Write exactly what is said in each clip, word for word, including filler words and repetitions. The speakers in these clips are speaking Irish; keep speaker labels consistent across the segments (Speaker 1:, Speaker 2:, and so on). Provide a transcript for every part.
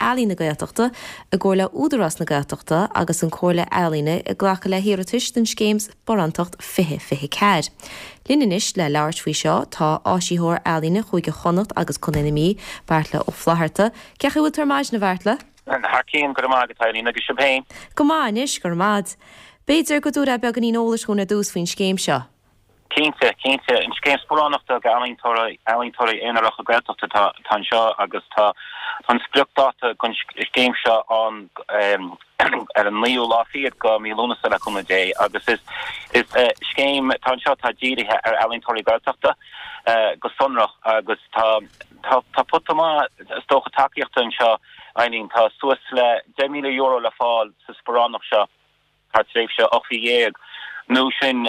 Speaker 1: Ealaíon na Gaeltachta i gcomhar le Údarás na Gaeltachta agus an Comhairle Ealaíne ag glacadh le hiarratais don scéim Sparántacht fiche fiche ceathair. Linn anois le labhairt faoi seo tá áisitheoir ealaíne Chúige Chonnacht agus Contae na Mí, Beartla Ó Flatharta. Cén chaoi a bhfuil tú ar maidin, a Bheartla?
Speaker 2: Thar cionn, go raibh maith agat, Eileen, agus sibh féin.
Speaker 1: Go maith anois, go raibh maith. B'fhéidir go dtabharfá beagáinín eolais dúinn ar dtús faoin scéim seo.
Speaker 2: Cinnte, cinnte. An scéim sparánachta do ealaíontóirí ealaíontóirí aonaracha Gaeltachta atá atá anseo agus tá tá an spriocdháta don scéim seo an ar an naoú lá fichead de mhí Lúnasa le cúnamh Dé agus is is scéim atá anseo atá dírithe ar ealaíontóirí Gaeltachta go sonrach agus tá tá tá pota maith is dócha tacaíochta anseo Eileen, tá suas le deich míle euro le fáil sa sparánacht seo. thar tréimhse ocht mhí dhéag, nó sin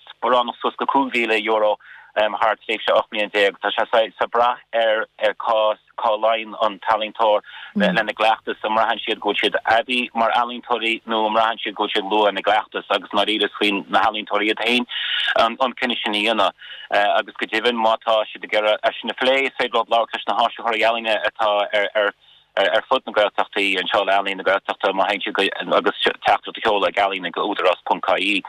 Speaker 2: sparánacht suas go cúig mhíle euro thar tréimhse ocht mbliana déag. Tá sé saghas ag brath ar ar cá cá luíonn an t-ealaíontóir lena gcleachtas, an mbraitheann siad go bhfuil siad aibí mar ealaíontóirí nó an mbraitheann siad go bhfuil siad luath ina gcleachtas agus i ndáiríre is faoi na healaíontóirí iad féin an cinneadh sin a dhéanamh. Agus go deimhin má tá siad ag iarraidh é sin a phlé is féidir leo labhairt leis na háisitheoirí ealaíne atá ar ar ar fud na Gaeltachtaí anseo le Ealaín na Gaeltachta má théann siad agus teachtaireacht a sheoladh ag ealaín ag údarás ponc ie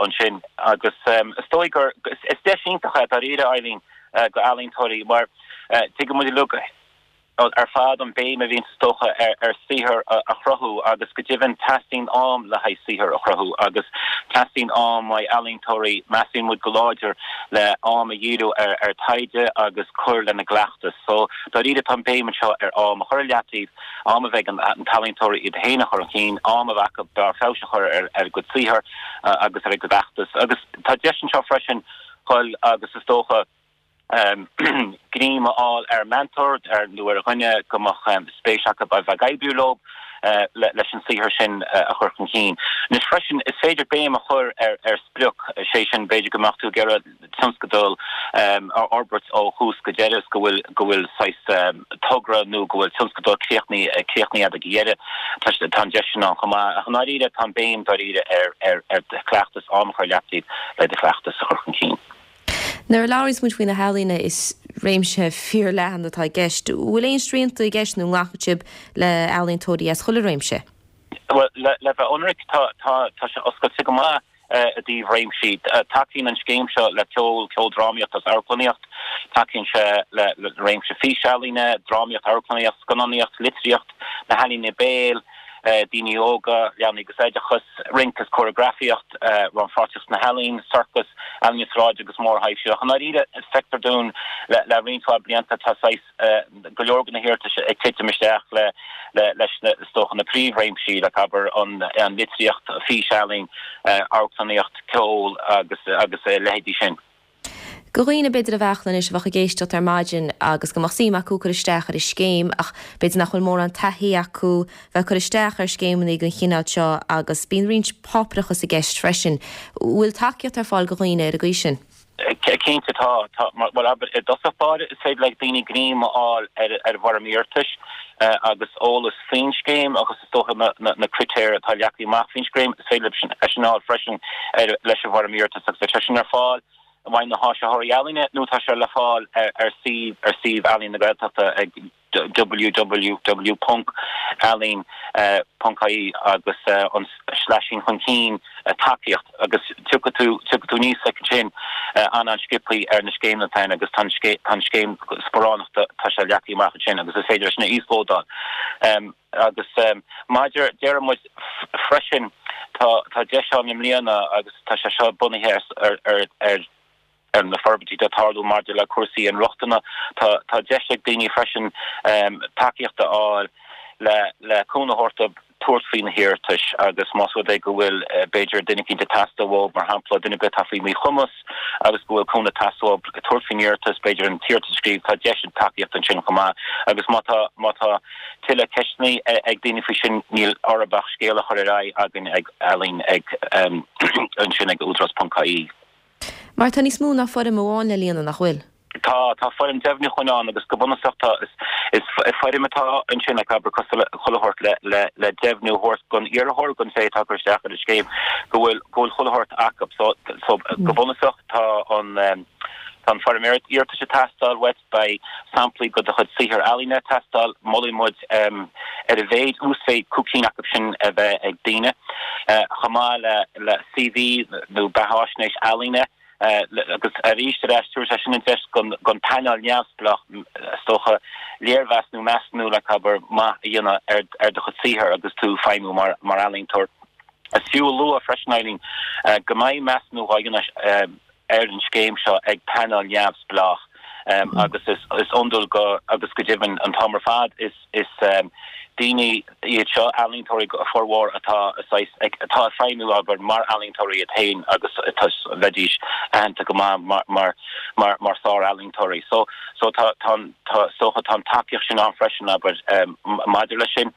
Speaker 2: ansin agus is dóigh gur is deis iontach é dáiríre Eileen go ealaíontóirí mar tuigeann muid uilig ar fad an béim a bhíonn is dócha ar ar saothar a chruthú agus go deimhin teastaíonn am le haghaidh saothar a chruthú agus teastaíonn am ó ealaíontóirí measann muid go láidir le am a dhíriú ar ar taighde agus cur lena gcleachtas. So dáiríre tá an béim anseo ar am a chur i leataobh, am a bheith ag an t-ealaíontóir iad féin a chur chun cinn, am a bheith acu barr feabhais a chur ar ar a gcuid saothar agus ar a gcuid cleachtas. Agus tá deis anseo freisin dhul agus is dócha greim a fháil ar mentor ar nó ar dhuine go mbeadh spéis acu a bheith ag oibriú leo leis an saothar sin a chur chun cinn. Anois freisin is féidir béim a chur ar ar sprioc, sé sin b'fhéidir go mbeadh tú ag iarraidh tionscadal a fhorbairt ó thús go deireadh is go bhfuil go bhfuil saghas togra nó go bhfuil tionscadal críochnaithe críochnaithe ag deireadh. Tá tá an deis sin ann chomh maith. Ach i ndáiríre tá an béim dáiríre ar ar ar do chleachtas am a chur i leataobh le do chleachtas a chur chun cinn.
Speaker 1: Nuair a labhraíonn muid faoi na healaíona is réimse fíorleathan atá i gceist, bhfuil aon srianta i gceist nó nglacann sibh le ealaíontóirí as chuile réimse?
Speaker 2: Well le le bheith ionraic tá tá tá sé oscailte go maith i dtaobh réimsí. Tacaíonn an scéim seo le ceol, ceoldrámaíocht agus amharclannaíocht, tacaíonn sé le le réimse físealaíne, drámaíocht, amharclannaíocht, scannánaíocht, litríocht, na healaíona béil, daoine óga, leanaí agus oideachas, rince is córagrafaíocht, rannpháirtíocht sna healaíona, sorcas, ealaíona sráide agus mórthaibhsí. Ach i ndáiríre, feictear dúinn le le roinnt mhaith blianta tá saghas go leor de na hiarratais ag titim isteach le le leis na is dócha na príomhréimsí like abair an an litríocht, físealaín, amharclannaíocht, ceol agus agus a leithéidí sin.
Speaker 1: Do dhaoine b'fhéidir a bheadh anois a bheadh ag éisteacht ar maidin agus go mbeadh suim acu cur isteach ar an scéim ach b'fhéidir nach bhfuil mórán taithí acu bheith cur isteach ar scéimeanna den chineál seo agus bíonn roinnt páipéarachas i gceist freisin. Bhfuil tacaíocht ar fáil do dhaoine ar an gcaoi sin?
Speaker 2: Cinnte tá, tá, bhuel abair i dtosach báire is féidir le daoine greim a fháil ar ar bhfoirm iarratais agus eolas faoin scéim agus is dócha na na na critéir atá leagtha amach faoin scéim is féidir sin é sin a fháil freisin ar leis an bhfoirm iarratais agus tá sin ar fáil uaidh na háisitheoirí ealaíne nó tá sé le fáil ar ar suíomh ar suíomh Ealaín na Gaeltachta ag www ponc ealaín ponc ie agus an sleaisín chun cinn tacaíocht agus tiocfaidh tú tiocfaidh tú aníos ansin an-an-sciobtha ar na scéimeanna atá ann agus tá an tá an scéim sparánachta tá sé leagtha amach ansin agus is féidir sin a íoslódáil. Agus maidir deir muid freisin tá tá deis ann i mbliana agus tá sé seo bunaithe ar ar ar ar na forbairtí atá ag tarlú maidir le cúrsaí inrochtana. Tá tá deis ag daoine freisin tacaíocht a fháil le le cúnamh a thabhairt dóibh tabhairt faoi na hiarratais agus más rud é go bhfuil b'fhéidir duine eicínt ag teastáil uathu, mar shampla duine ar bith atá faoi mhíchumas agus go bhfuil cúnamh ag teastáil uathu tabhairt faoin iarratas, b'fhéidir an t-iarratas a scríobh, tá deis ag tacaíocht ansin chomh maith agus má tá má tá tuilleadh ceisteanna ag daoine faoi sin níl orthu ach scéal a chur ar aghaidh againn ag ealaín ag ansin ag údarás ponc ie.
Speaker 1: Mar tá níos mó ná foirm amháin le líonadh, nach bhfuil?
Speaker 2: Tá, tá foirm deimhniúcháin ann agus go bunúsach tá, is, is foirm atá ansin like abair cosúil le chuile shórt le, le, le deimhniú a thabhairt don iarrthóir, don té atá ag cur isteach ar an scéim go bhfuil, go bhfuil chuile shórt acu. So, so go bunúsach tá an, Tá an foirm iarratais ag teastáil uait, beidh samplaí de do chuid saothar ealaíne ag teastáil, molfaidh muid ar a mhéid uasmhéid cúig cinn acu sin a bheith ag daoine, chomh maith le le CV nó beathaisnéis ealaíne agus arís ar ais tabharfaidh sé sin an deis don phainéal neamhspleách is dócha léirmheas nó measúnú le abair maith a dhéanamh ar do chuid saothar agus tú ag feidhmiú mar ealaíontóir. Is fiú a lua freisin, Eileen, go mbeidh measúnú á dhéanamh ar an scéim seo ag painéal neamhspleách agus is iondúil go agus go deimhin an t-am ar fad is is daoine iad seo, ealaíontóirí a formhór atá saghas atá ag feidhmiú abair mar ealaíontóirí iad féin agus atá bheidís aitheanta go maith mar mar mar mar sár-ealaíontóirí. So so tá tá tá is dócha tá an tacaíocht sin ann freisin abair maidir leis sin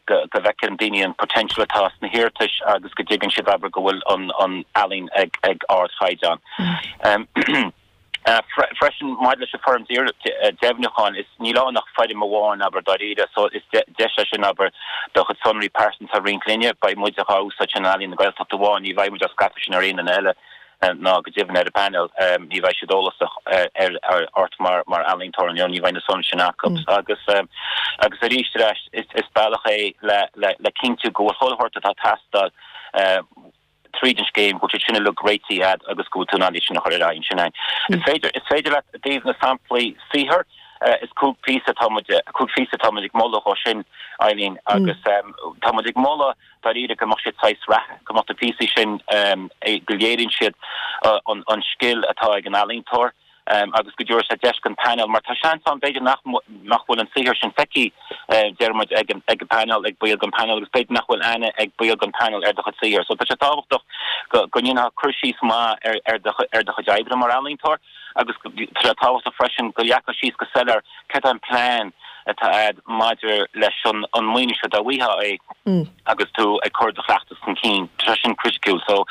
Speaker 2: go go bhfeiceann daoine an potential atá sna hiarratais agus go dtuigeann siad abair go bhfuil an an ealaín ag ag ardchaighdeán. Freisin maidir leis an foirm deimhniúcháin is níl ann ach foirm amháin abair dáiríre so is deis é sin abair do chuid sonraí pearsanta a roinnt linne, beidh muid á úsáid sin in Ealaín na Gaeltachta amháin, ní bheidh muid á scaipeadh sin ar aon duine eile ná go deimhin ar an bpainéal, ní bheidh siad eolasach ar ort mar mar ealaíontóir you know ní bheidh na sonraí sin acu agus agus arís ar ais is bealach é le le le cinntiú go bhfuil chuile shórt atá ag teastáil tríd an scéim, go bhfuil siad sin uilig réitithe agat agus go bhfuil tú in ann iad sin a chur ar aghaidh ansin. Is féidir, is féidir leat i dtaobh na samplaí saothair, is cúig phíosa atá muid, cúig phíosa atá muid ag moladh dhó sin, Eileen, agus tá muid ag moladh dáiríre go mbeadh siad saghas reatha, go mbeadh na píosaí sin, go léiríonn siad an, an scil atá ag an ealaíontóir. agus go dtabharfaidh sé deis don phainéal, mar tá seans ann b'fhéidir nach nach bhfuil an saothar sin feicthe, deir muid, ag an ag an bpainéal, ag baill den phainéal agus b'fhéidir nach bhfuil aithne ag baill den phainéal ar do chuid saothair. So tá sé tábhachtach go go ndéanfá cur síos maith ar ar do ar do chuid oibre mar ealaíontóir agus tá sé tábhachtach freisin go leagfá síos go soiléir céard é an plean atá agat maidir leis an an maoiniú seo dá bhfaighfeá é agus tú ag cur do chleachtas chun cinn. Tá sé sin criticiúil so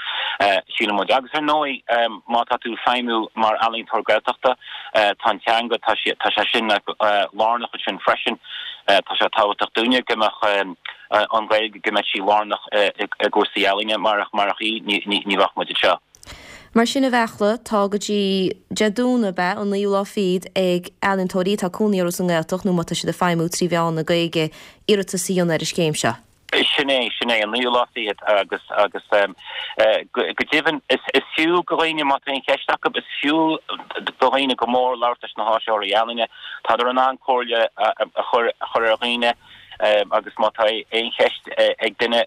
Speaker 2: síleann muid. Agus ar ndóigh má tá tú ag feidhmiú mar ealaíontóir Gaeltachta tá an teanga tá sé tá sé sin lárnach ansin freisin. Tá sé tábhachtach dúinne go mbeadh an Ghaeilge go mbeadh sí lárnach i gcúrsaí ealaíne marach marach í ní ní bheadh muid anseo.
Speaker 1: Mar sin a Bheartla, tá go dtí Dé Domhnaigh, ab ea, an naoú lá fichead ag ealaíontóirí atá cónaí orthu sa nGaeltacht nó má tá siad ag feidhmiú trí mheán na Gaeilge iarratas a dhéanamh ar an scéim seo.
Speaker 2: Sin é, sin é, an naoú lá fichead agus agus go deimhin is is fiú go dhaoine má tá aon cheist acu, is fiú do dhaoine go mór labhairt leis na háisitheoirí ealaíne. Tádar in ann comhairle a chur a chur ar dhaoine. Agus má tá aon cheist ag duine,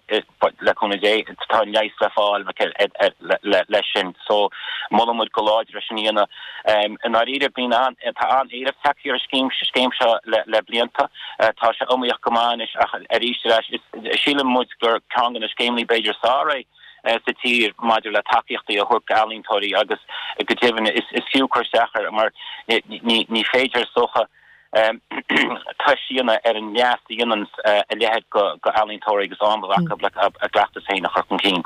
Speaker 2: le cúnamh Dé, tá an leigheas le fáil leis sin. So, molann muid go láidir é sin a dhéanamh. I ndáiríre, bíonn an, tá an-éileamh tagtha ar an scéim, scéim seo le blianta. Tá sé iomaíoch go maith anois ach arís ar ais, síleann muid gur ceann de na scéimeanna b'fhéidir is fearr é sa tír maidir le tacaíochtaí a thabhairt d'ealaíontóirí agus go deimhin is fiú cur isteach air mar ní féidir is dócha, tomhas a dhéanamh ar an leas a dhéanann a leithéid go ealaíontóirí agus am a bheith acu le a gcleachtas féin a chur chun cinn.